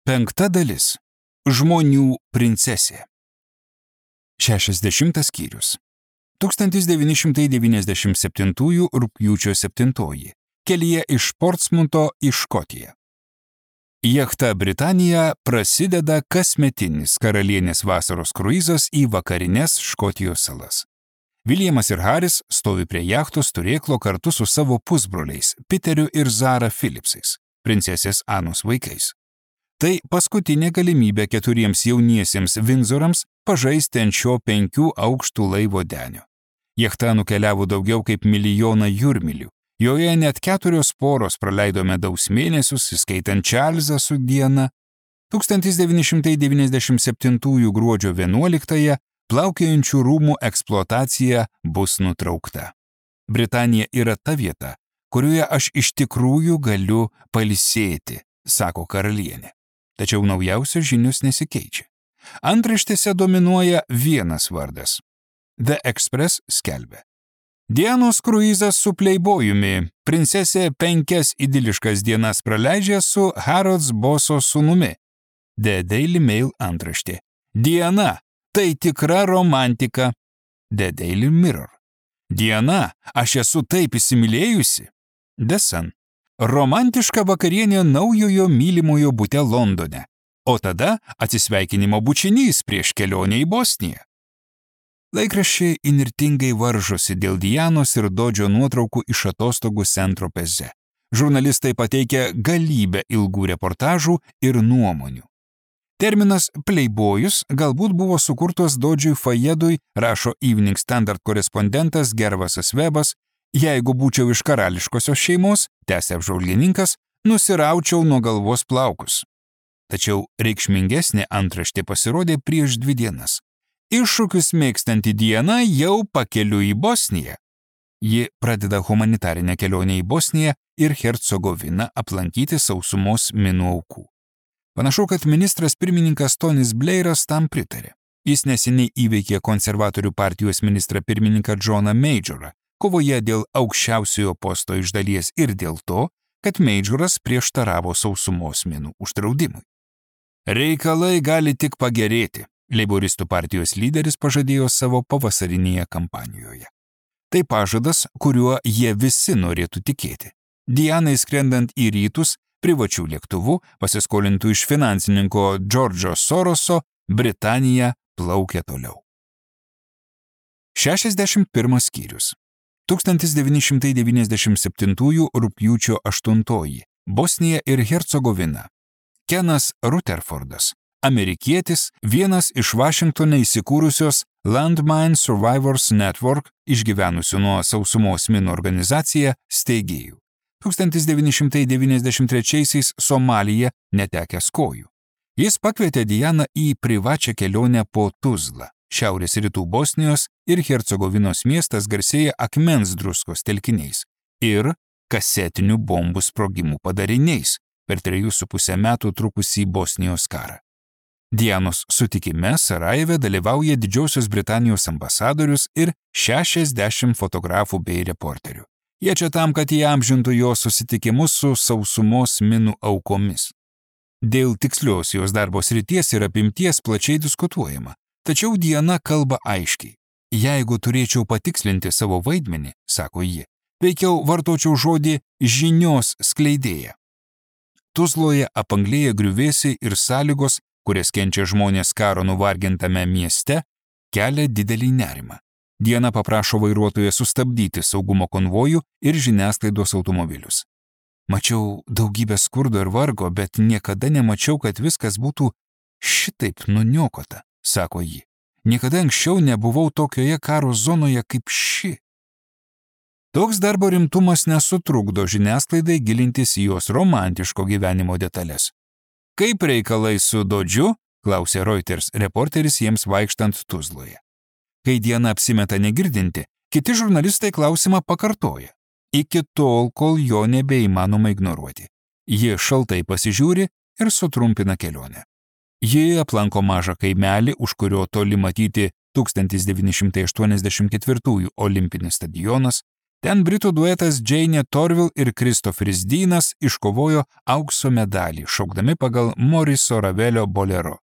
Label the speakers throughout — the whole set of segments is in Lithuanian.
Speaker 1: 5 dalis. Žmonių princesė. 60 skyrius. 1997 rugpjūčio 7. Kelyje iš Portsmuto į Škotiją. Jachta Britanija prasideda kasmetinis karalienės vasaros kruizas į vakarines Škotijos salas. Williamas ir Haris stovi prie jachtos turėklo kartu su savo pusbroliais Peteriu ir Zara Philipsais, princesės Anos vaikais. Tai paskutinė galimybė 4 jauniesiems Vindzorams pažaisti ant šio 5 aukštų laivo denio. Jachta nukeliavo daugiau kaip 1 milijoną jūrmylių. Joje net 4 poros praleido medaus mėnesius, įskaitant Čarlzą su Diana. 1997 gruodžio 11 plaukiojančių rūmų eksploatacija bus nutraukta. Britanija yra ta vieta, kurioje aš iš tikrųjų galiu pailsėti, sako karalienė. Tačiau naujausios žinios nesikeičia. Antraštėse dominuoja vienas vardas. The Express skelbia. Dianos kruizas su pleibojumi. Princesė 5 idiliškas dienas praleidžia su Harrods Boso sūnumi. The Daily Mail antraštė. Diana, tai tikra romantika. The Daily Mirror. Diana, aš esu taip įsimylėjusi. The Sun. Romantiška vakarienė naujojo mylimojo bute Londone, o tada atsisveikinimo bučinys prieš kelionę į Bosniją. Laikraščiai įnirtingai varžosi dėl Dianos ir Dodžio nuotraukų iš atostogų Saint-Tropeze. Žurnalistai pateikia galybę ilgų reportažų ir nuomonių. Terminas pleibojus galbūt buvo sukurtas Dodžiui Fayedui, rašo Evening Standard korespondentas Gervasas Webas. Jeigu būčiau iš karališkosios šeimos, tęsė apžvalgininkas, nusiraučiau nuo galvos plaukus. Tačiau reikšmingesnė antraštė pasirodė prieš 2 dienas. Iššūkius mėgstanti Diana jau pakeliui į Bosniją. Ji pradeda humanitarinę kelionę į Bosniją ir Hercegoviną aplankyti sausumos minų aukų. Panašu, kad ministras pirmininkas Tonis Blairas tam pritarė. Jis neseniai įveikė konservatorių partijos ministrą pirmininką Johną Majorą, kovoje dėl aukščiausiojo posto iš dalies ir dėl to, kad Majoras prieštaravo sausumos minų uždraudimui. Reikalai gali tik pagerėti, leiboristų partijos lyderis pažadėjo savo pavasarinėje kampanijoje. Tai pažadas, kuriuo jie visi norėtų tikėti. Dianai skrendant į rytus, privačių lėktuvų, pasiskolintų iš finansininko Džordžo Soroso, Britanija plaukia toliau. 61 skyrius. 1997 rugpjūčio 8. Bosnija ir Hercegovina. Kenas Rutherfordas, amerikietis, vienas iš Vašingtone įsikūrusios Landmine Survivors Network išgyvenusių nuo sausumos minų organizacija steigėjų. 1993 Somalija netekęs kojų. Jis pakvietė Dianą į privačią kelionę po Tuzlą. Šiaurės rytų Bosnijos ir Hercegovinos miestas garsėja akmens druskos telkiniais ir kasetinių bombų sprogimų padariniais per 3,5 metų trukusį Bosnijos karą. Dianos sutikime Sarajeve dalyvauja Didžiosios Britanijos ambasadorius ir 60 fotografų bei reporterių. Jie čia tam, kad įamžintų jo susitikimus su sausumos minų aukomis. Dėl tikslios jos darbo srities ir apimties plačiai diskutuojama. Tačiau Diana kalba aiškiai. Jeigu turėčiau patikslinti savo vaidmenį, sako ji, veikiau vartočiau žodį žinios skleidėja. Tuzloje apanglėja griuvėsiai ir sąlygos, kurias kenčia žmonės karo nuvargintame mieste, kelia didelį nerimą. Diana paprašo vairuotoją sustabdyti saugumo konvojų ir žiniasklaidos automobilius. Mačiau daugybę skurdo ir vargo, bet niekada nemačiau, kad viskas būtų šitaip nuniokota, sako ji. Niekada anksčiau nebuvau tokioje karo zonoje kaip ši. Toks darbo rimtumas nesutrukdo žiniasklaidai gilintis į jos romantiško gyvenimo detalės. Kaip reikalai su Dodžiu, klausė Reuters reporteris jiems vaikštant Tuzloje. Kai Diana apsimeta negirdinti, kiti žurnalistai klausimą pakartoja. Iki tol, kol jo nebeįmanoma ignoruoti. Ji šaltai pasižiūri ir sutrumpina kelionę. Ji aplanko mažą kaimelį, už kurio toli matyti 1984 olimpinis stadionas, Ten britų duetas Jane Torville ir Christopheris Deanas iškovojo aukso medalį, šaukdami pagal Moriso Ravelio bolero.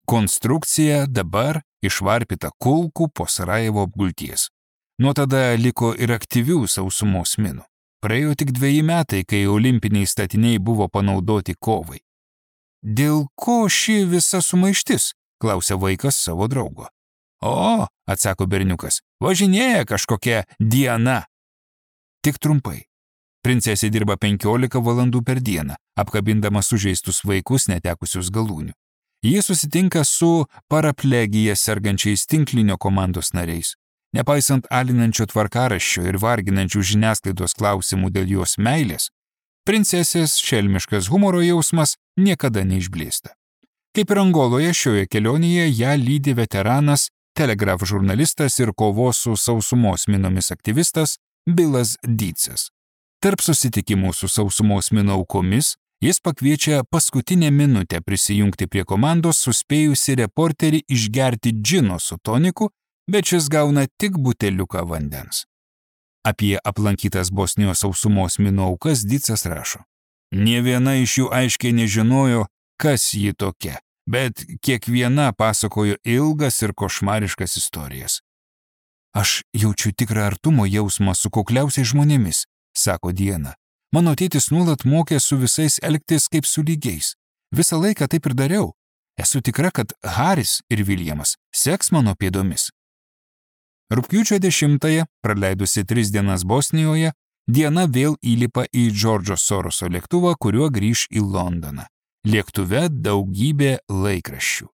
Speaker 1: Konstrukcija dabar išvarpyta kulkų po Sarajevo apgulties. Nuo tada liko ir aktyvių sausumos minų. Praėjo tik 2 metai, kai olimpiniai statiniai buvo panaudoti kovai. Dėl ko ši visa sumaištis? Klausia vaikas savo draugo. O, atsako berniukas, važinėja kažkokia Diana. Tik trumpai. Princesė dirba 15 valandų per dieną, apkabindama sužeistus vaikus netekusius galūnių. Ji susitinka su paraplegija sergančiais tinklinio komandos nariais. Nepaisant alinančio tvarkaraščio ir varginančių žiniasklaidos klausimų dėl jos meilės, princesės šelmiškas humoro jausmas niekada neišblėsta. Kaip ir Angoloje, šioje kelionėje ją lydi veteranas, Telegraph žurnalistas ir kovos su sausumos minomis aktyvistas Billas Deedsas. Tarp susitikimų su sausumos minų aukomis jis pakviečia paskutinę minutę prisijungti prie komandos suspėjusi reporterį išgerti džino su toniku, bet šis gauna tik buteliuką vandens. Apie aplankytas Bosnijos sausumos minų aukas Deedsas rašo. Nė viena iš jų aiškiai nežinojo, kas ji tokia, bet kiekviena pasakojo ilgas ir košmariškas istorijas. Aš jaučiu tikrą artumo jausmą su kukliausiais žmonėmis, sako Diana. Mano tėtis nuolat mokė su visais elgtis kaip su lygiais. Visą laiką taip ir dariau. Esu tikra, kad Haris ir Viljamas seks mano pėdomis. Rugpjūčio 10-ąją, praleidusi 3 dienas Bosnijoje, Diana vėl įlipa į Džordžo Soroso lėktuvą, kuriuo grįš į Londoną. Lėktuve daugybė laikraščių.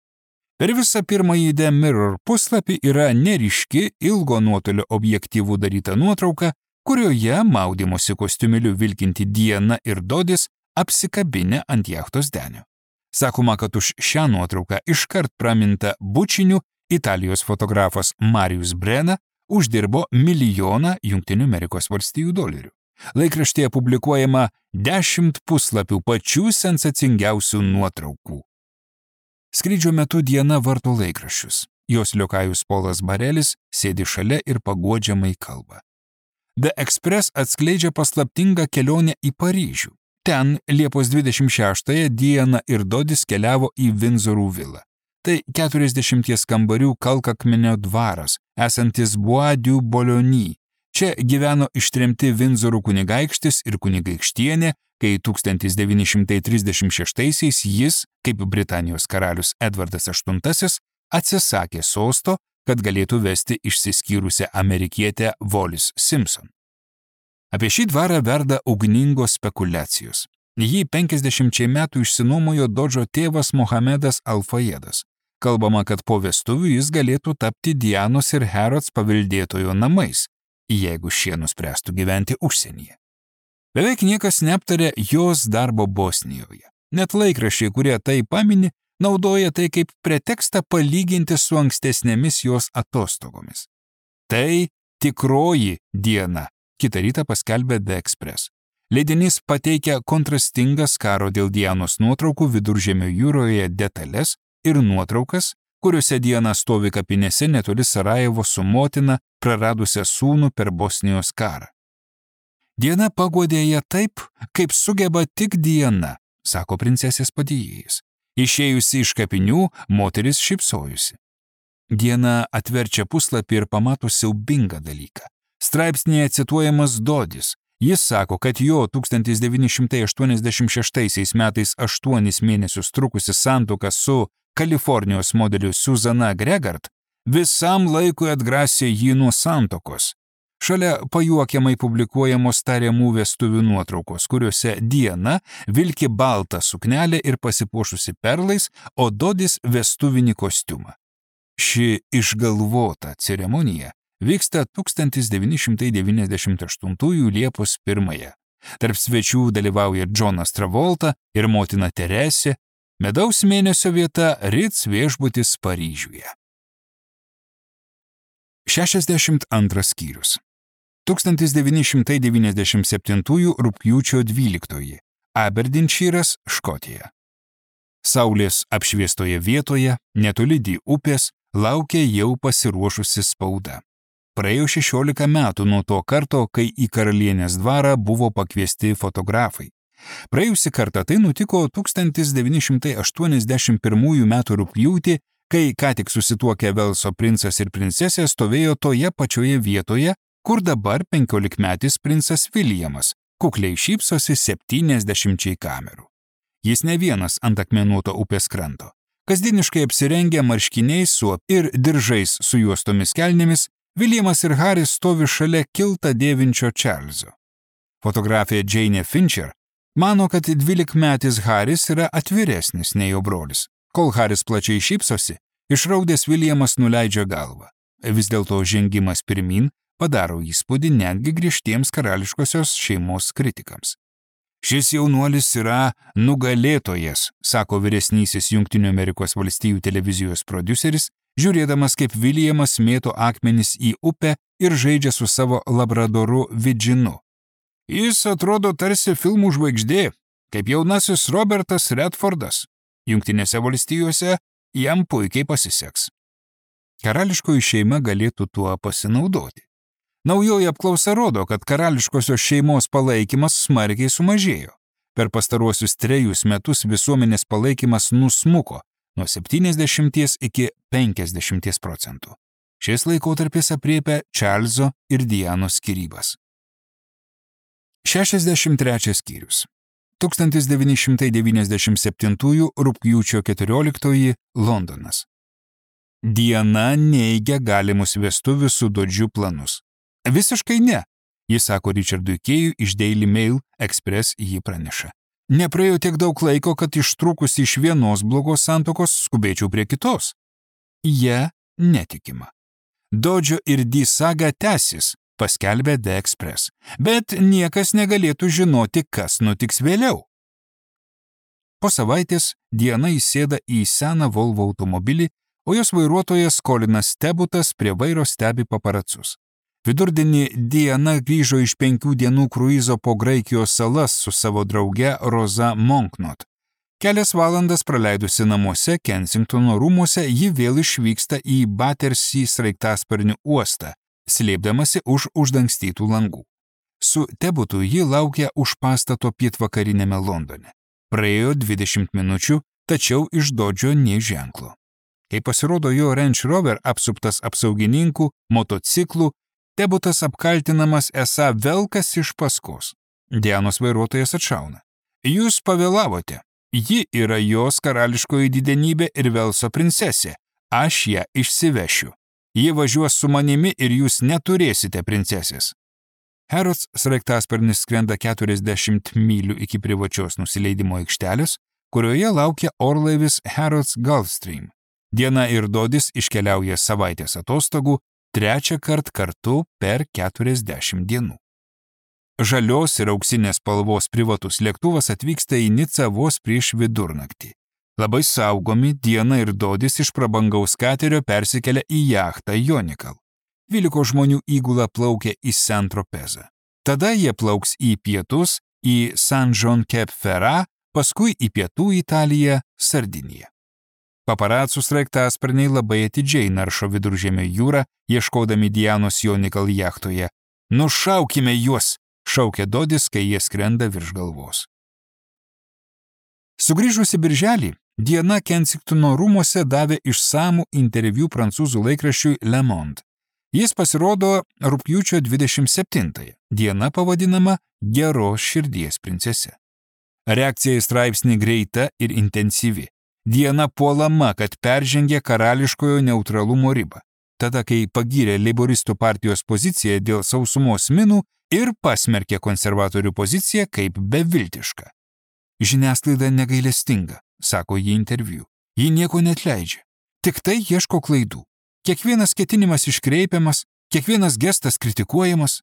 Speaker 1: Per visą pirmąjį The Mirror puslapį yra neryški ilgo nuotolio objektyvų daryta nuotrauka, kurioje maudymosi kostiumėliu vilkinti Diana ir Dodis apsikabinę ant jachtos denio. Sakoma, kad už šią nuotrauką iškart praminta bučiniu Italijos fotografas Marius Brena uždirbo $1 milijoną. Laikraštyje publikuojama 10 puslapių pačių sensacingiausių nuotraukų. Skrydžio metu Diana varto laikraščius. Jos liokajus Polas Barelis sėdi šalia ir paguodžiamai kalba. The Express atskleidžia paslaptingą kelionę į Paryžių. Ten Liepos 26-ąją Diana ir Dodis keliavo į Vindzorų vilą. Tai 40 kambarių kalkakmenio dvaras, esantis Bois du Boulogne. Čia gyveno ištremti Vindzorų kunigaikštis ir kunigaikštienė, kai 1936-aisiais jis, kaip Britanijos karalius Edvardas VIII, atsisakė sosto, kad galėtų vesti išsiskyrusią amerikietę Wallis Simpson. Apie šį dvarą verda ugningos spekulacijos. Jį 50 metų išsinuomojo Dodžo tėvas Mohamedas Al-Fayedas. Kalbama, kad po vestuvių jis galėtų tapti Dianos ir Herods paveldėtojo namais, jeigu šie nuspręstų gyventi užsienyje. Beveik niekas neaptarė jos darbo Bosnijoje. Net laikraščiai, kurie tai pamini, naudoja tai kaip pretekstą palyginti su ankstesnėmis jos atostogomis. Tai tikroji Diana, kitą rytą paskelbė The Express. Leidinys pateikia kontrastingas karo dėl Dianos nuotraukų Viduržemio jūroje detalės ir nuotraukas, kuriuose Diana stovi kapinėse netoli Sarajevo su motina, praradusią sūnų per Bosnijos karą. Diana paguodė ją taip, kaip sugeba tik Diana, sako princesės padėjėjas. Išėjusi iš kapinių, moteris šypsojusi. Diana atverčia puslapį ir pamato siaubingą dalyką. Straipsnėje cituojamas Dodis. Jis sako, kad jo 1986 metais 8 mėnesius trukusi santuoka su Kalifornijos modeliu Susana Gregard visam laikui atgrasė jį nuo santuokos. Šalia pajuokiamai publikuojamos tariamų vestuvių nuotraukos, kuriuose Diana vilki baltą suknelę ir pasipuošusi perlais, o Dodis vestuvinį kostiumą. Ši išgalvota ceremonija vyksta 1998 Liepos 1. Tarp svečių dalyvauja Johnas Travolta ir motina Teresė, medaus mėnesio vieta Ritz viešbutis Paryžiuje. 62 skyrius. 1997 rugpjūčio 12. Aberdinšyras, Škotija. Saulės apšviestoje vietoje, netoli Dy upės, laukia jau pasiruošusi spauda. Praėjo 16 metų nuo to karto, kai į karalienės dvarą buvo pakviesti fotografai. Praėjusį kartą tai nutiko 1981 m. rugpjūtį, kai ką tik susituokę Velso princas ir princesė stovėjo toje pačioje vietoje, kur dabar 15-metis princas Viljamas kukliai šypsosi 70 kamerų. Jis ne vienas ant akmenuoto upės kranto. Kasdieniškai apsirengę marškiniais ir diržais su juostomis kelnėmis, Viljamas ir Haris stovi šalia kiltą dėvinčio Čarlzo. Fotografė Jane Fincher mano, kad 12-metis Haris yra atviresnis nei jo brolis. Kol Haris plačiai šypsosi, išraudęs Viljamas nuleidžia galvą. Vis dėlto žengimas pirmin padaro įspūdį netgi griežtiems karališkosios šeimos kritikams. Šis jaunuolis yra nugalėtojas, sako vyresnysis Jungtinių Amerikos valstijų televizijos prodiuseris, žiūrėdamas, kaip Viljamas mėto akmenis į upę ir žaidžia su savo labradoru Vidžinu. Jis atrodo tarsi filmų žvaigždė, kaip jaunasis Robertas Redfordas. Jungtinėse valstijose jam puikiai pasiseks. Karališkoji šeima galėtų tuo pasinaudoti. Naujoji apklausa rodo, kad karališkosios šeimos palaikymas smarkiai sumažėjo. Per pastaruosius 3 metus visuomenės palaikymas nusmuko nuo 70 iki 50%. Šis laikotarpis apriepia Čarlzo ir Dianos skyrybas. 63 skyrius. 1997 rugpjūčio 14 Londonas. Diana neigia galimus vestuvių su Dodžiu planus. Visiškai ne, jis sako Richardui Kėjui iš Daily Mail Express jį praneša. Nepraėjo tiek daug laiko, kad ištrūkus iš vienos blogos santuokos skubėčiau prie kitos. Ja netikima. Dodžio ir Di saga tęsis, paskelbė The Express, bet niekas negalėtų žinoti, kas nutiks vėliau. Po savaitės Diana įsėda į seną Volvo automobilį, o jos vairuotojas Colinas Tebutas prie vairo stebi paparacus. Vidurdienį Diana grįžo iš 5 dienų kruizo po Graikijos salas su savo drauge Roza Monknot. Kelias valandas praleidusi namuose Kensingtono rūmuose, ji vėl išvyksta į Battersea sraigtasparnių uostą, slėpdamasi už uždangstytų langų. Su Tebutu ji laukia už pastato pietvakarinėme Londone. Praėjo 20 minučių, tačiau iš Dodžio nė ženklo. Kai pasirodo jo Range Rover apsuptas apsaugininkų, motociklų, Tebutas apkaltinamas esą velkas iš paskos. Dianos vairuotojas atšauna. Jūs pavėlavote. Ji yra jos karališkoji didenybė ir Velso princesė. Aš ją išsivešiu. Ji važiuos su manimi ir jūs neturėsite princesės. Harrods sraigtasparnis skrenda 40 mylių iki privačios nusileidimo aikštelės, kurioje laukia orlaivis Harrods Gulfstream. Diana ir Dodis iškeliauja savaitės atostogų, 3 kartu per 40 dienų. Žalios ir auksinės spalvos privatus lėktuvas atvyksta į Nicą vos prieš vidurnaktį. Labai saugomi, Diana ir Dodis iš prabangaus katerio persikelia į jachtą Jonikal. 12 žmonių įgula plaukia į Saint-Tropezą. Tada jie plauks į pietus, į Saint-Jean-Cap-Ferrat, paskui į pietų Italiją, Sardiniją. Paparacų sraigtasparniai labai atidžiai naršo Viduržemio jūrą, ieškodami Dianos Jonikal jachtoje. Nušaukime juos, šaukia Dodis, kai jie skrenda virš galvos. Sugrįžusi birželį, Diana Kensingtono rūmuose davė išsamų interviu prancūzų laikraščiui Le Monde. Jis pasirodo rugpjūčio 27-ąją. Diana pavadinama geros širdies princese. Reakcija į straipsnį greita ir intensyvi. Diana puolama, kad peržengė karališkojo neutralumo ribą. Tada, kai pagyrė leiboristų partijos poziciją dėl sausumos minų ir pasmerkė konservatorių poziciją kaip beviltišką. Žiniasklaida negailestinga, sako ji interviu. Ji nieko neatleidžia. Tik tai ieško klaidų. Kiekvienas ketinimas iškreipiamas, kiekvienas gestas kritikuojamas.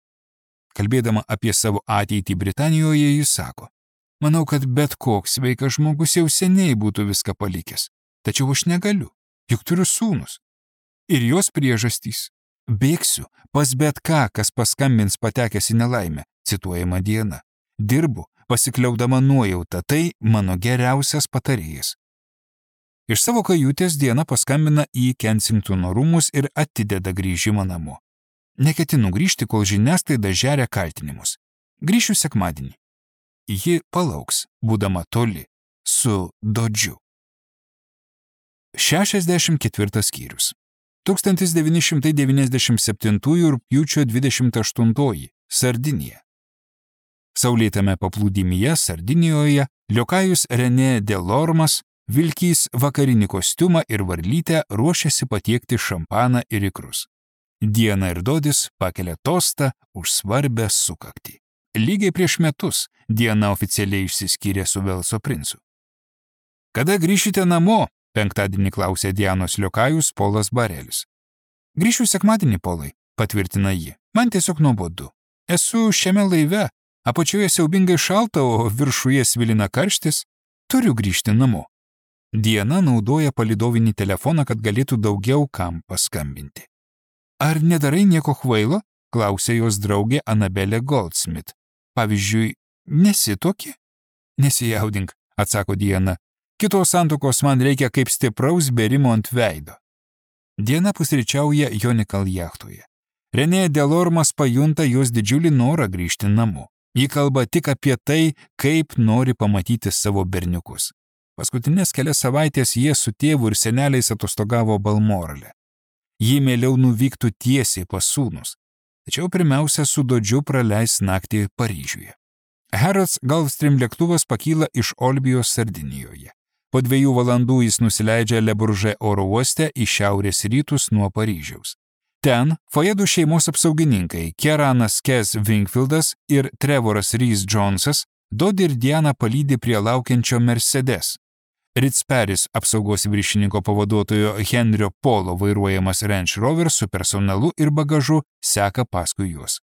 Speaker 1: Kalbėdama apie savo ateitį Britanijoje, jis sako: manau, kad bet koks sveikas žmogus jau seniai būtų viską palikęs. Tačiau aš negaliu, juk turiu sūnus. Ir jos priežastys. Bėgsiu pas bet ką, kas paskambins patekęs į nelaimę, cituojama Diana. Dirbu, pasikliaudama nuojauta, tai mano geriausias patarėjas. Iš savo kajutės Diana paskambina į Kensingtono rūmus ir atideda grįžimą namo. Neketinu grįžti, kol žiniasklaida žeria kaltinimus. Grįšiu sekmadienį. Ji palauks, būdama toli, su Dodžiu. 64 skyrius. 1997 rugpjūčio 28 Sardinija. Saulėtame paplūdimyje Sardinijoje liokajus René Delormas, vilkys vakarinį kostiumą ir varlytę, ruošiasi patiekti šampaną ir ikrus. Diana ir Dodis pakelia tostą už svarbę sukaktį. Lygiai prieš metus Diana oficialiai išsiskyrė su Velso princu. Kada grįšite namo? Penktadienį klausė Dianos liokajus Polas Barelis. Grįšiu sekmadienį, Polai, patvirtina ji. Man tiesiog nuobodu. Esu šiame laive, apačioje siaubingai šalta, o viršuje svilina karštis. Turiu grįžti namo. Diana naudoja palidovinį telefoną, kad galėtų daugiau kam paskambinti. Ar nedarai nieko kvailo? Klausė jos draugė Anabelė Goldsmith. Pavyzdžiui, nesituoki? Nesijaudink, atsako Diana. Kitos santuokos man reikia kaip stipraus bėrimo ant veido. Diana pusryčiauja Jonikal jachtoje. René Delormas pajunta jos didžiulį norą grįžti namo. Ji kalba tik apie tai, kaip nori pamatyti savo berniukus. Paskutinės kelias savaitės jie su tėvu ir seneliais atostogavo Balmorale. Ji mieliau nuvyktų tiesiai pas sūnus. Tačiau pirmiausia su Dodžiu praleis naktį Paryžiuje. Harrods Gulfstream lėktuvas pakyla iš Olbijos Sardinijoje. Po 2 valandų jis nusileidžia Le Bourget oro uoste į šiaurės rytus nuo Paryžiaus. Ten Fojedų šeimos apsaugininkai Keranas Kes Wingfieldas ir Trevoras Rhys Jonesas Dodį ir Dianą palydi prie laukiančio Mercedes. Ritz-Paris apsaugos viršininko pavaduotojo Henrio Polo vairuojamas Range Rover su personalu ir bagažu seka paskui juos.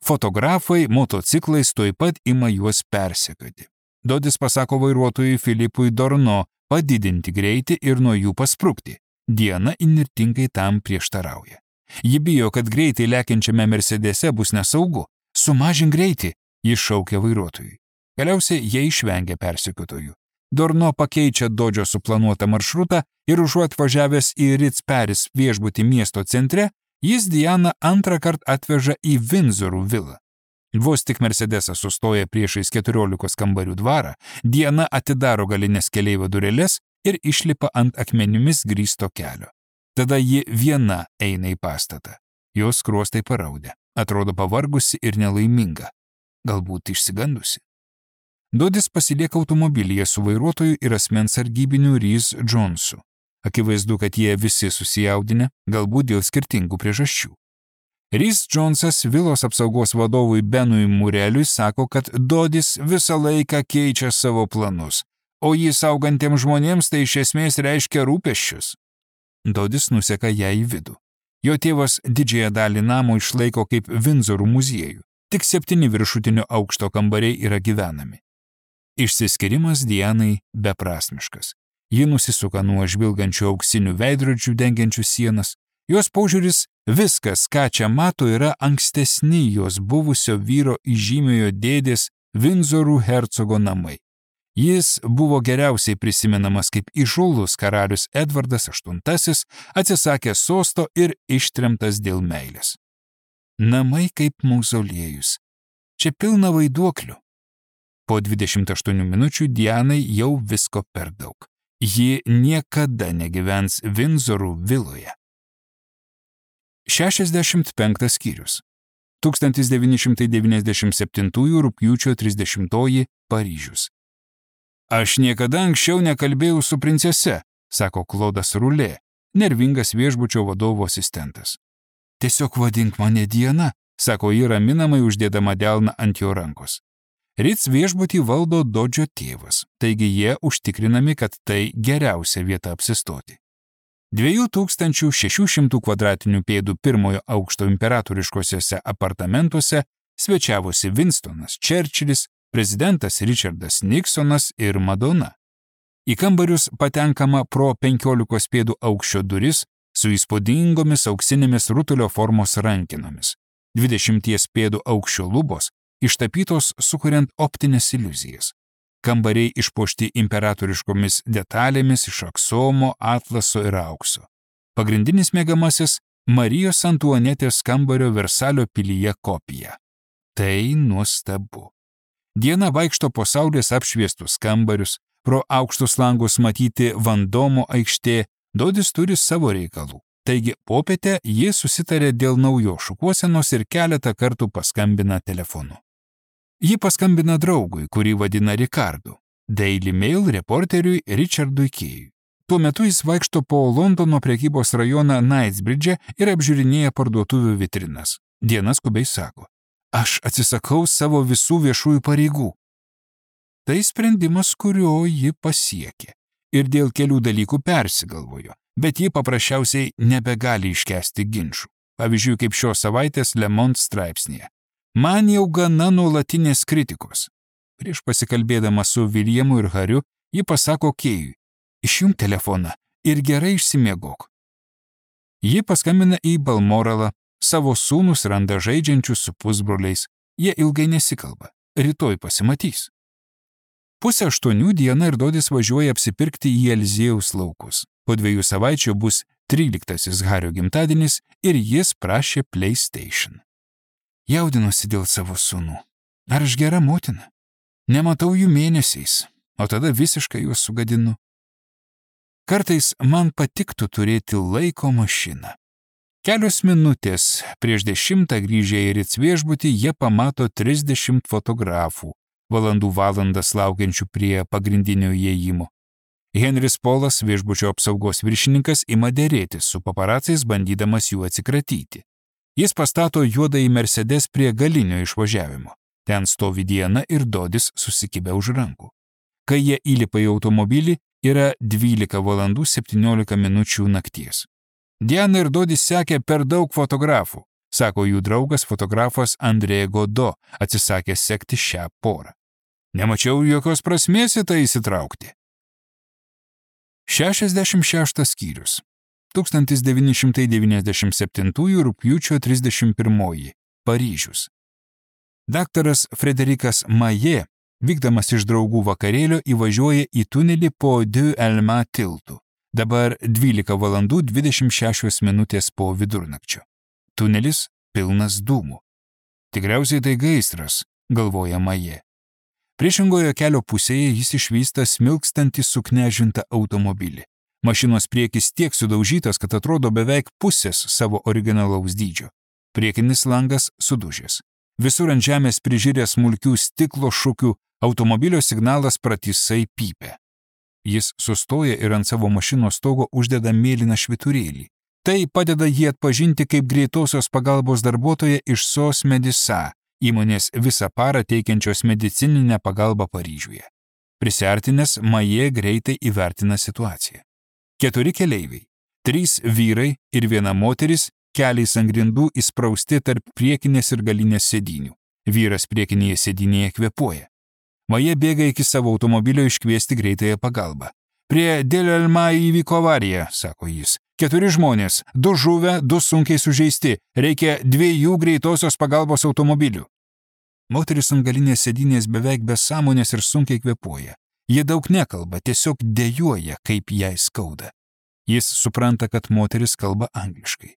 Speaker 1: Fotografai motociklais tuoj pat ima juos persekioti. Dodis pasako vairuotojui Filipui Dorno padidinti greitį ir nuo jų pasprukti. Diana įnirtingai tam prieštarauja. Ji bijo, kad greitai lekiančiame Mercedese bus nesaugu. Sumažink greitį, jis šaukia vairuotojui. Galiausiai jie išvengia persekiotojų. Dorno pakeičia Dodžio suplanuotą maršrutą ir užuot važiavęs į Ritz-Paris viešbutį miesto centre, jis Dianą antrą kartą atveža į Vindzorų vilą. Vos tik Mercedesas sustoja priešais 14 kambarių dvarą, Diana atidaro galinės keleivio dureles ir išlipa ant akmenimis grįsto kelio. Tada ji viena eina į pastatą. Jos skruostai paraudę, atrodo pavargusi ir nelaiminga, galbūt išsigandusi. Dodis pasilieka automobilyje su vairuotoju ir asmens sargybiniu Rhys Jonesu. Akivaizdu, kad jie visi susijaudinę, galbūt dėl skirtingų priežasčių. Rhys Jonesas vilos apsaugos vadovui Benui Mureliui sako, kad Dodis visą laiką keičia savo planus, o jį saugantiems žmonėms tai iš esmės reiškia rūpesčius. Dodis nuseka ją į vidų. Jo tėvas didžiąją dalį namo išlaiko kaip Vindzorų muziejų. Tik 7 viršutinio aukšto kambariai yra gyvenami. Išsiskyrimas Dianai beprasmiškas. Ji nusisuka nuo žvilgančių auksinių veidrodžių dengiančių sienas. Jos požiūris viskas, ką čia mato, yra ankstesni jos buvusio vyro įžymiojo dėdės Vindzorų hercogo namai. Jis buvo geriausiai prisimenamas kaip įžūlus karalius Edvardas VIII, atsisakęs sosto ir ištremtas dėl meilės. Namai kaip mauzoliejus. Čia pilna vaiduoklių. Po 28 minučių Dianai jau visko per daug. Ji niekada negyvens Vindzorų viloje. 65 skyrius. 1997 rugpjūčio 30 Paryžius. Aš niekada anksčiau nekalbėjau su princese, sako Klodas Rulė, nervingas viešbučio vadovo asistentas. Tiesiog vadink mane Diana, sako ji raminamai uždėdama delną ant jo rankos. Ritz viešbutį valdo Dodžio tėvas, taigi jie užtikrinami, kad tai geriausia vieta apsistoti. 2600 kvadratinių pėdų pirmojo aukšto imperatoriškosiuose apartamentuose svečiavosi Winstonas Churchillis, prezidentas Richardas Nixonas ir Madona. Į kambarius patenkama pro 15 pėdų aukščio duris su įspūdingomis auksinėmis rutulio formos rankinomis. 20 pėdų aukščio lubos ištapytos sukuriant optinės iliuzijas. Kambariai išpuošti imperatoriškomis detalėmis iš aksomo, atlaso ir aukso. Pagrindinis mėgamasis Marijos Antuanetės kambario Versalio pilyje kopija. Tai nuostabu. Diena vaikšto po saulės apšviestus kambarius, pro aukštus langus matyti Vandomo aikštė, Dodis turi savo reikalų. Taigi popietę jie susitarė dėl naujos šukuosenos ir keletą kartų paskambina telefonu. Ji paskambina draugui, kurį vadina Ricardu, Daily Mail reporteriui Richardui Kėjui. Tuo metu jis vaikšto po Londono prekybos rajoną Knightsbridge ir apžiūrinėja parduotuvių vitrinas. Diena skubiai sako: aš atsisakau savo visų viešųjų pareigų. Tai sprendimas, kurio ji pasiekė. Ir dėl kelių dalykų persigalvojo, bet ji paprasčiausiai nebegali iškęsti ginčų. Pavyzdžiui, kaip šios savaitės Le Monde straipsnėje. Man jau gana nuolatinės kritikos. Prieš pasikalbėdama su Williamu ir Hariu, ji pasako Kėjui: išjunk telefoną ir gerai išsimiegok. Ji paskambina į Balmoralą, savo sūnus randa žaidžiančius su pusbroliais, jie ilgai nesikalba, rytoj pasimatys. 7:30 dieną ir Dodis važiuoja apsipirkti į Eliziejaus laukus. Po 2 savaičių bus 13 Hario gimtadienis ir jis prašė PlayStation. Jaudinosi dėl savo sūnų. Ar aš gera motina? Nematau jų mėnesiais, o tada visiškai juos sugadinu. Kartais man patiktų turėti laiko mašiną. Kelios minutės prieš 10 grįžę į Ritz viešbutį jie pamato 30 fotografų, valandas laukiančių prie pagrindinio įėjimo. Henris Polas, viešbučio apsaugos viršininkas, ima dėrėtis su paparacais, bandydamas jų atsikratyti. Jis pastato juodąjį Mercedes prie galinio išvažiavimo. Ten stovi Diana ir Dodis susikibę už rankų. Kai jie įlipa į automobilį, yra 12:17 nakties. Diana ir Dodis sekė per daug fotografų, sako jų draugas fotografas Andrė Godo, atsisakė sekti šią porą. Nemačiau jokios prasmės į tai įsitraukti. 66 skyrius. 1997 rugpjūčio 31. Paryžius. Daktaras Frederikas Maje, vykdamas iš draugų vakarėlio, įvažiuoja į tunelį po Deux Allemands tiltu. Dabar 12:26 po vidurnakčio. Tunelis pilnas dūmų. Tikriausiai tai gaisras, galvoja Maje. Priešingoje kelio pusėje jis išvysta smilkstantį suknežintą automobilį. Mašinos priekis tiek sudaužytas, kad atrodo beveik pusės savo originalaus dydžio. Priekinis langas sudužęs. Visur ant žemės prižiūrė smulkių stiklo šukių, automobilio signalas pratisai pypia. Jis sustoja ir ant savo mašinos stogo uždeda mėlyną švyturėlį. Tai padeda jį atpažinti kaip greitosios pagalbos darbuotoja iš SOS Medisa, įmonės visą parą teikiančios medicininę pagalbą Paryžiuje. Prisiartinęs, Maje greitai įvertina situaciją. 4 keleiviai, 3 vyrai ir 1 moteris, keliais ant grindų įsprausti tarp priekinės ir galinės sėdynių. Vyras priekinėje sėdynėje kvėpuoja. Maje bėga iki savo automobilio iškviesti greitąją pagalbą. Prie Deux Allemands įvyko avarija, sako jis. 4 žmonės, 2 žuvę, 2 sunkiai sužeisti. Reikia 2 greitosios pagalbos automobilių. Moteris ant galinės sėdynės beveik be sąmonės ir sunkiai kvėpuoja. Jie daug nekalba, tiesiog dejuoja, kaip jai skauda. Jis supranta, kad moteris kalba angliškai.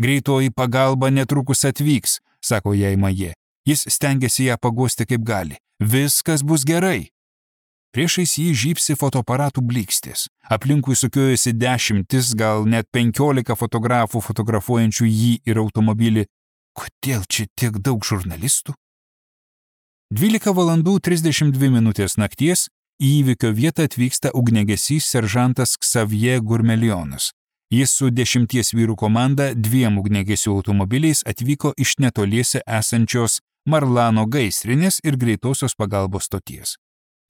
Speaker 1: Greitoji pagalba netrukus atvyks, sako jai Maje. Jis stengiasi ją paguosti kaip gali. Viskas bus gerai. Priešais jį žybsi fotoaparatų blykstis. Aplinkui sukiojasi 10, gal net 15 fotografų fotografuojančių jį ir automobilį. Kodėl čia tiek daug žurnalistų? 12:32 nakties į įvykio vietą atvyksta ugniagesys seržantas Xavier Gourmelionas. Jis su 10 vyrų komanda 2 ugniagesių automobiliais atvyko iš netoliese esančios Marlano gaisrinės ir greitosios pagalbos stoties.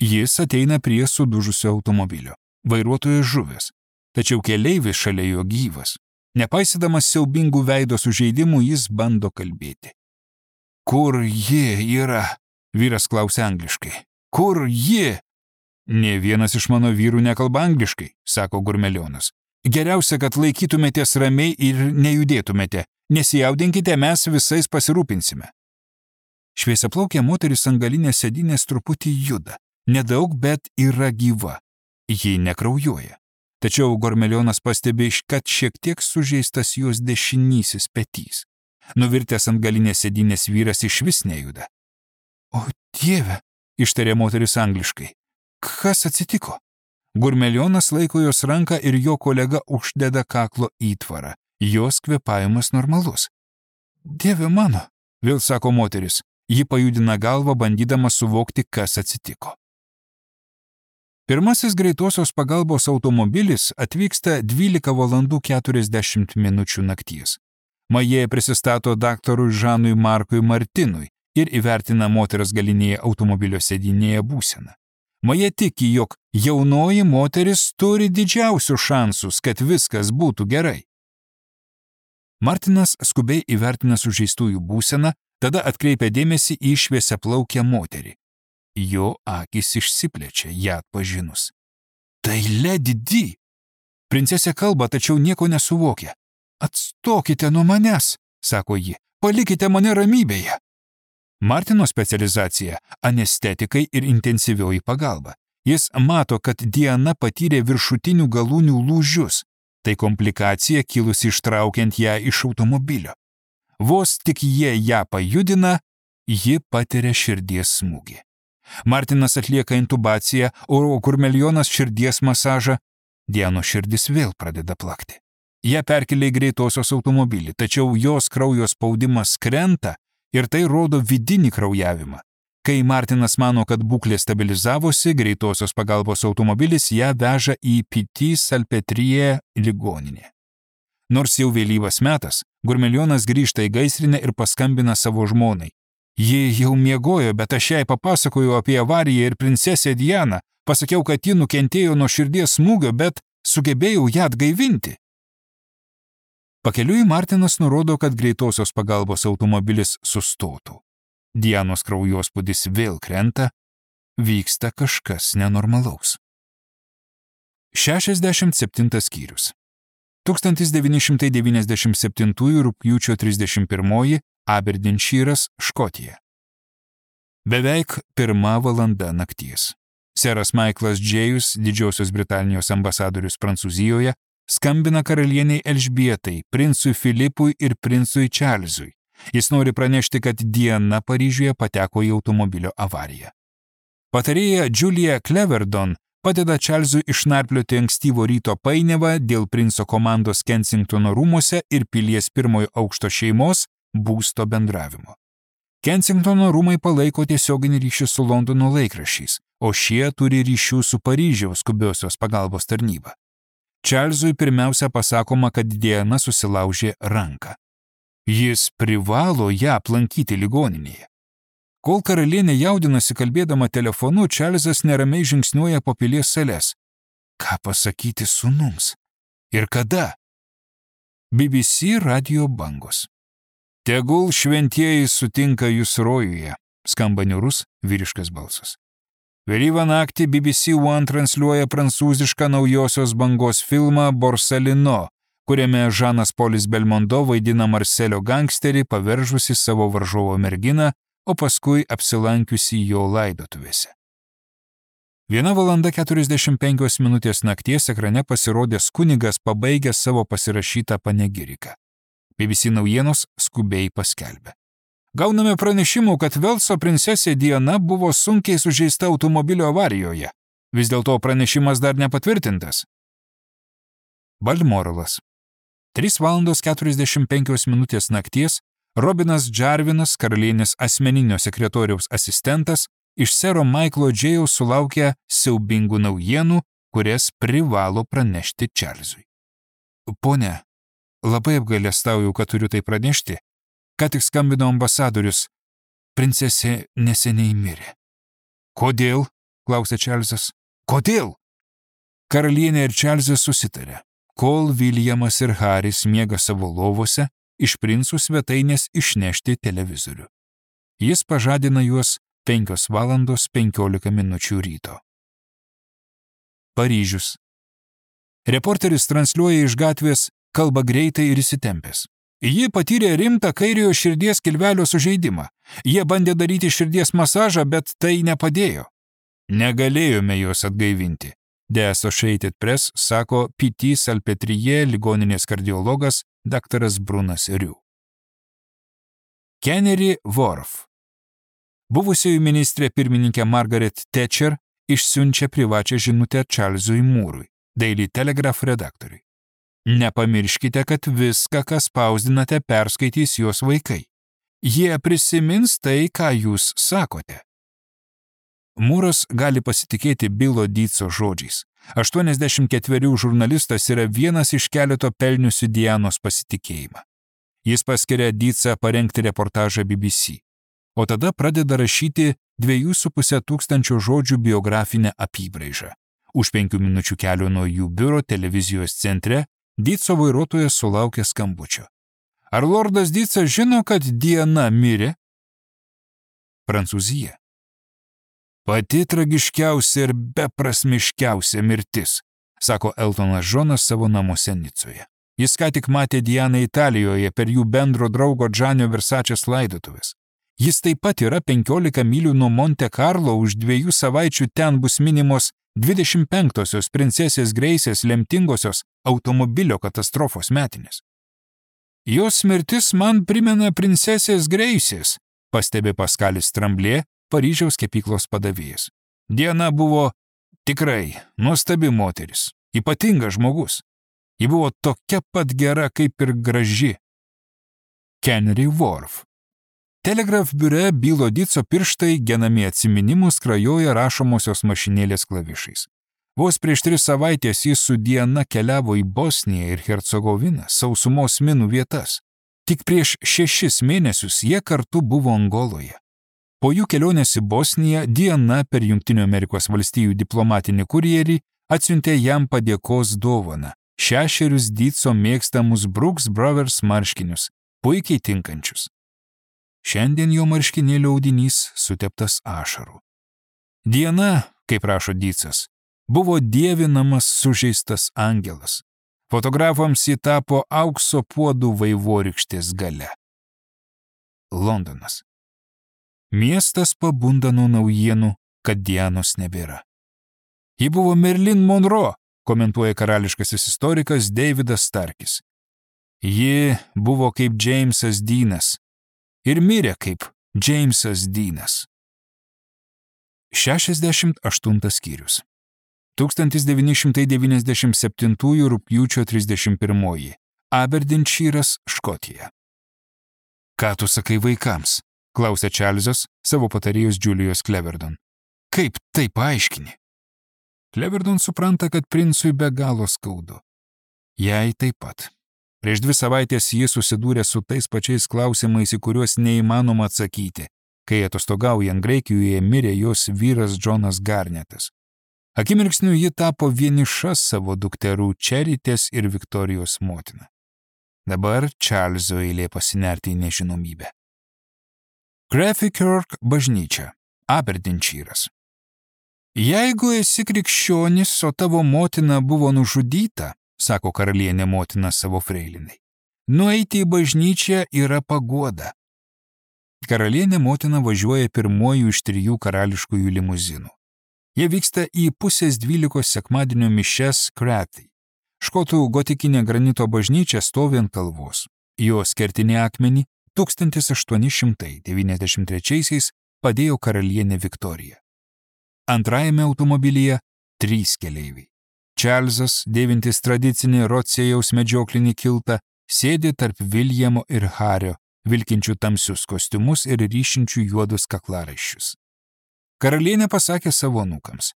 Speaker 1: Jis ateina prie sudužusio automobilio. Vairuotojas žuvęs, tačiau keleivis šalia jo gyvas. Nepaisydamas siaubingų veido sužeidimų, jis bando kalbėti. Kur ji yra? Vyras klausia angliškai. Kur ji? Nė vienas iš mano vyrų nekalba angliškai, sako Gourmelionas. Geriausia, kad laikytumėtės ramiai ir nejudėtumėte. Nesijaudinkite, mes visais pasirūpinsime. Šviesiaplaukė moteris ant galinės sėdynės truputį juda. Nedaug, bet yra gyva. Ji nekraujuoja. tačiau Gormelionas pastebi, kad šiek tiek sužeistas jos dešinysis petys. Nuvirtęs ant galinės sėdynės vyras išvis nejuda. O Dieve, ištarė moteris angliškai. Kas atsitiko? Gormelionas laiko jos ranką ir jo kolega uždeda kaklo įtvarą. Jos kvėpavimas normalus. Dieve mano, vėl sako moteris. Ji pajudina galvą, bandydama suvokti, kas atsitiko. Pirmasis greitosios pagalbos automobilis atvyksta 12 valandų 40 minučių nakties. Majė prisistato daktarui Žanui Markui Martinui ir įvertina moters galinėje automobilio sėdynėje būseną. Majė tiki, jog jaunoji moteris turi didžiausius šansus, kad viskas būtų gerai. Martinas skubiai įvertina sužeistųjų būseną, tada atkreipia dėmesį į šviesiaplaukę moterį. Jo akys išsiplečia, ją atpažinus. Tai Lady Di. Princesė kalba, tačiau nieko nesuvokia. Atstokite nuo manęs, sako ji, palikite mane ramybėje. Martino specializacija – anestetikai ir intensyvioji pagalba. Jis mato, kad Diana patyrė viršutinių galūnių lūžius. Tai komplikacija kilusi ištraukiant ją iš automobilio. Vos tik jie ją pajudina, ji patiria širdies smūgį. Martinas atlieka intubaciją, o Gormelionas širdies masažą. Dianos širdis vėl pradeda plakti. Ją perkelia į greitosios automobilį, tačiau jos kraujo spaudimas krenta ir tai rodo vidinį kraujavimą. Kai Martinas mano, kad būklė stabilizavosi, greitosios pagalbos automobilis ją veža į Petit Salpêtrière ligoninę. Nors jau vėlyvas metas, Gormelionas grįžta į gaisrinę ir paskambina savo žmonai. Ji jau miegojo, bet aš jai papasakojau apie avariją ir princesę Dianą. Pasakiau, kad ji nukentėjo nuo širdies smūgio, bet sugebėjau ją atgaivinti. Pakeliui Martinas nurodo, kad greitosios pagalbos automobilis sustotų. Dianos kraujospūdis vėl krenta, vyksta kažkas nenormalaus. 67 skyrius. 1997 rugpjūčio 31 Aberdeenšyras, Škotija. Beveik 1 valanda nakties. Seras Maiklas Džėjus, Didžiosios Britanijos ambasadorius Prancūzijoje, skambina karalieniai Elžbietai, princui Filipui ir princui Čarlzui. Jis nori pranešti, kad Diana Paryžiuje pateko į automobilio avariją. Patarėja Julia Cleverdon padeda Čarlzui išnarplioti ankstyvo ryto painiavą dėl princo komandos Kensingtono rūmuose ir pilies 1 aukšto šeimos būsto bendravimo. Kensingtono rūmai palaiko tiesioginį ryšį su Londono laikraščiais, o šie turi ryšių su Paryžiaus skubiosios pagalbos tarnyba. Čarlzui pirmiausia pasakoma, kad Diana susilaužė ranką. Jis privalo ją aplankyti ligoninėje. Kol karalienė jaudinasi kalbėdama telefonu, Čarlzas neramiai žingsniuoja po pilies sales. Ką pasakyti sūnums? Ir kada? BBC radijo bangos. Tegul šventieji sutinka jūs rojuje, skamba niūrus vyriškas balsas. Vėlyvą naktį BBC One transliuoja prancūzišką naujosios bangos filmą Borsalino, kuriame Žanas Polis Belmondo vaidina Marselio gangsterį, paveržusi savo varžovo merginą, o paskui apsilankiusi jo laidotuvėse. 1 valanda 45 minutės nakties ekrane pasirodęs kunigas pabaigęs savo pasirašytą panegiriką. BBC naujienos skubiai paskelbė. Gauname pranešimų, kad Velso princesė Diana buvo sunkiai sužeista automobilio avarijoje. Vis dėlto pranešimas dar nepatvirtintas. Balmoralas. 3 valandos 45 minutės nakties Robinas Džarvinas, karalienės asmeninio sekretoriaus asistentas, iš sero Maiklo Džėjaus sulaukė siaubingų naujienų, kurias privalo pranešti Čarlzui. Pone, labai apgailestauju, kad turiu tai pranešti. Ką tik skambino ambasadorius. Princesė neseniai mirė. Kodėl? Klausė Čarlzas. Kodėl? Karalienė ir Čarlzas susitarė. Kol Viljamas ir Haris miega savo lovose, iš princų svetainės išnešti televizorių. Jis pažadina juos 5 valandos 15 minučių ryto. Paryžius. Reporteris transliuoja iš gatvės, kalba greitai ir įsitempęs. Ji patyrė rimtą kairiojo širdies kilvelio sužeidimą. Jie bandė daryti širdies masažą, bet tai nepadėjo. Negalėjome jos atgaivinti. The Associated Press, sako P.T. Salpetrie ligoninės kardiologas dr. Brunas Riu. Kennery Worf. Buvusioji ministrė pirmininkė Margaret Thatcher išsiunčia privačią žinutę Čarlzui Mūrui, Daily Telegraph redaktoriui. Nepamirškite, kad viską, ką spausdinate, perskaitys jos vaikai. Jie prisimins tai, ką jūs sakote. Mūras gali pasitikėti Bilo Deetso žodžiais. 84 žurnalistas yra vienas iš keleto pelniusių Dianos pasitikėjimą. Jis paskiria Deetsą parengti reportažą BBC, o tada pradeda rašyti 2,5 tūkstančio žodžių biografinę apybraižą. Už 5 minučių kelio nuo jų biuro televizijos centre Deetso vairuotojas sulaukė skambučio. Ar lordas Deetsas žino, kad Diana mirė? Prancūzija. Pati tragiškiausia ir beprasmiškiausia mirtis, sako Eltonas Džonas savo namuose Nicoje. Jis ką tik matė Dianą Italijoje per jų bendro draugo Gianni Versačės laidotuvės. Jis taip pat yra 15 mylių nuo Monte Carlo, už 2 savaičių ten bus minimos 25-osios princesės Greisės lemtingosios automobilio katastrofos metinės. Jos mirtis man primena princesės Greisės, pastebi Paskalis Tramblė, Paryžiaus kepyklos padavėjas. Diana buvo tikrai nuostabi moteris, ypatingas žmogus. Ji buvo tokia pat gera, kaip ir graži. Kennery Worf. Telegraph biure Bilo Deetso pirštai genami atsiminimus krajoja rašomosios mašinėlės klavišais. Vos prieš 3 savaitės jis su Diana keliavo į Bosniją ir Hercegoviną, sausumos minų vietas. Tik prieš 6 mėnesius jie kartu buvo Angoloje. Po jų kelionės į Bosniją Diana per Jungtinių Amerikos valstijų diplomatinį kurjerį atsiuntė jam padėkos dovaną – 6 Deetso mėgstamus Brooks Brothers marškinius, puikiai tinkančius. Šiandien jo marškinėlio audinys suteptas ašarų. Diana, kaip rašo Deetsas, buvo dievinamas sužeistas angelas. Fotografams ji tapo aukso puodų vaivorykštės gale. Londonas. Miestas pabunda nuo naujienų, kad Dianos nebėra. Ji buvo Marilyn Monroe, komentuoja karališkasis istorikas Davidas Starkis. Ji buvo kaip Jamesas Deanas ir mirė kaip Jamesas Deanas. 68 skyrius. 1997 rugpjūčio 31. Aberdeenšyras, Škotija. Ką tu sakai vaikams? Klausė Čarlzas savo patarėjos Julijos Cleverdon. Kaip tai paaiškini? Cleverdon supranta, kad princui be galo skaudu. Jai taip pat. Prieš 2 savaitės jis susidūrė su tais pačiais klausimais, į kuriuos neįmanoma atsakyti, kai atostogaujant Graikijoje mirė jos vyras Džonas Garnetas. Akimirksniu ji tapo vieniša savo dukterų Čeritės ir Viktorijos motina. Dabar Čarlzo eilė pasinerti į nežinomybę. Crafty Kirk bažnyčia, Aberdeenšyras. Jeigu esi krikščionis, o tavo motina buvo nužudyta, sako karalienė motina savo freilinai, nueiti į bažnyčią yra paguoda. Karalienė motina važiuoja pirmuoju iš 3 karališkųjų limuzinų. Jie vyksta į 11:30 sekmadienio mišias Crathy. Škotų gotikinė granito bažnyčia stovi ant kalvos. Jos kertinį akmenį 1893 padėjo karalienė Viktorija. Antrajame automobilyje 3 keleiviai. Čarlzas, dėvintis tradicinį Rotsėjaus medžioklinį kiltą, sėdi tarp Viljamo ir Hario, vilkinčių tamsius kostiumus ir ryšinčių juodus kaklaraiščius. Karalienė pasakė savo anūkams: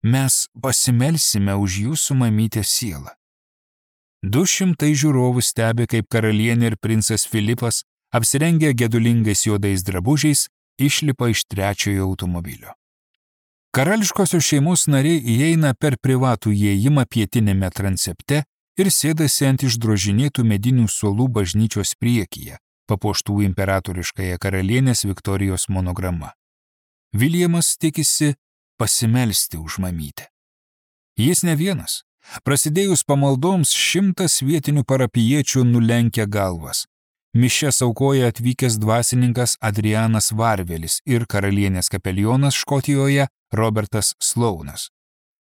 Speaker 1: mes pasimelsime už jūsų mamytės sielą. 200 žiūrovų stebi, kaip karalienė ir princas Filipas, apsirengę gedulingais juodais drabužiais, išlipa iš 3 automobilio. Karališkosios šeimos nariai įeina per privatų įėjimą pietinėme transepte ir sėdasi ant išdrožinėtų medinių suolų bažnyčios priekyje, papuoštų imperatoriškąją karalienės Viktorijos monograma. Viljamas tikisi pasimelsti už mamytę. Jis ne vienas. Prasidėjus pamaldoms 100 vietinių parapijiečių nulenkia galvas. Mišias aukoja atvykęs dvasininkas Adrianas Varvelis ir karalienės kapelionas Škotijoje Robertas Sloanas.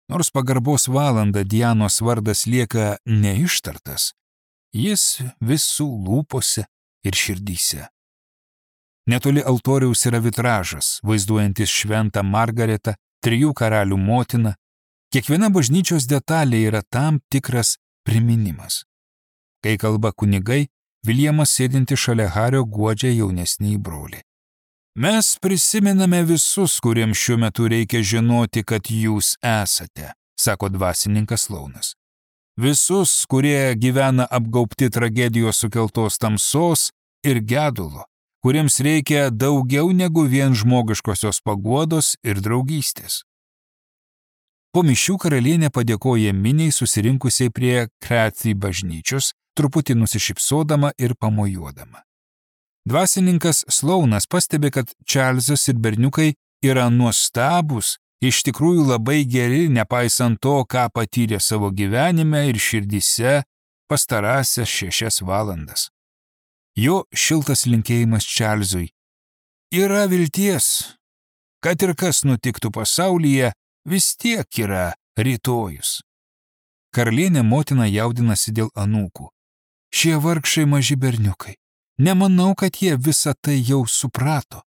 Speaker 1: Nors pagarbos valandą Dianos vardas lieka neištartas, jis visų lūpose ir širdyse. Netoli altoriaus yra vitražas, vaizduojantis šventą Margaretą, 3 karalių motiną. Kiekviena bažnyčios detalė yra tam tikras priminimas. Kai kalba kunigai, Viljamas sėdinti šalia Hario guodžia jaunesnįjį brolį. Mes prisimename visus, kuriems šiuo metu reikia žinoti, kad jūs esate, sako dvasininkas Launas. Visus, kurie gyvena apgaubti tragedijos sukeltos tamsos ir gedulo, kuriems reikia daugiau negu vien žmogiškosios paguodos ir draugystės. Po mišių karalienė padėkoja miniai susirinkusiai prie Krathy bažnyčios, truputį nusišypsodama ir pamojuodama. Dvasininkas Slaunas pastebi, kad Čarlzas ir berniukai yra nuostabūs, iš tikrųjų labai geri, nepaisant to, ką patyrė savo gyvenime ir širdyse pastarąsias 6 valandas. Jo šiltas linkėjimas Čarlzui. Yra vilties, kad ir kas nutiktų pasaulyje, vis tiek yra rytojus. Karalienė motina jaudinasi dėl anūkų. Šie vargšai maži berniukai. Nemanau, kad jie visą tai jau suprato.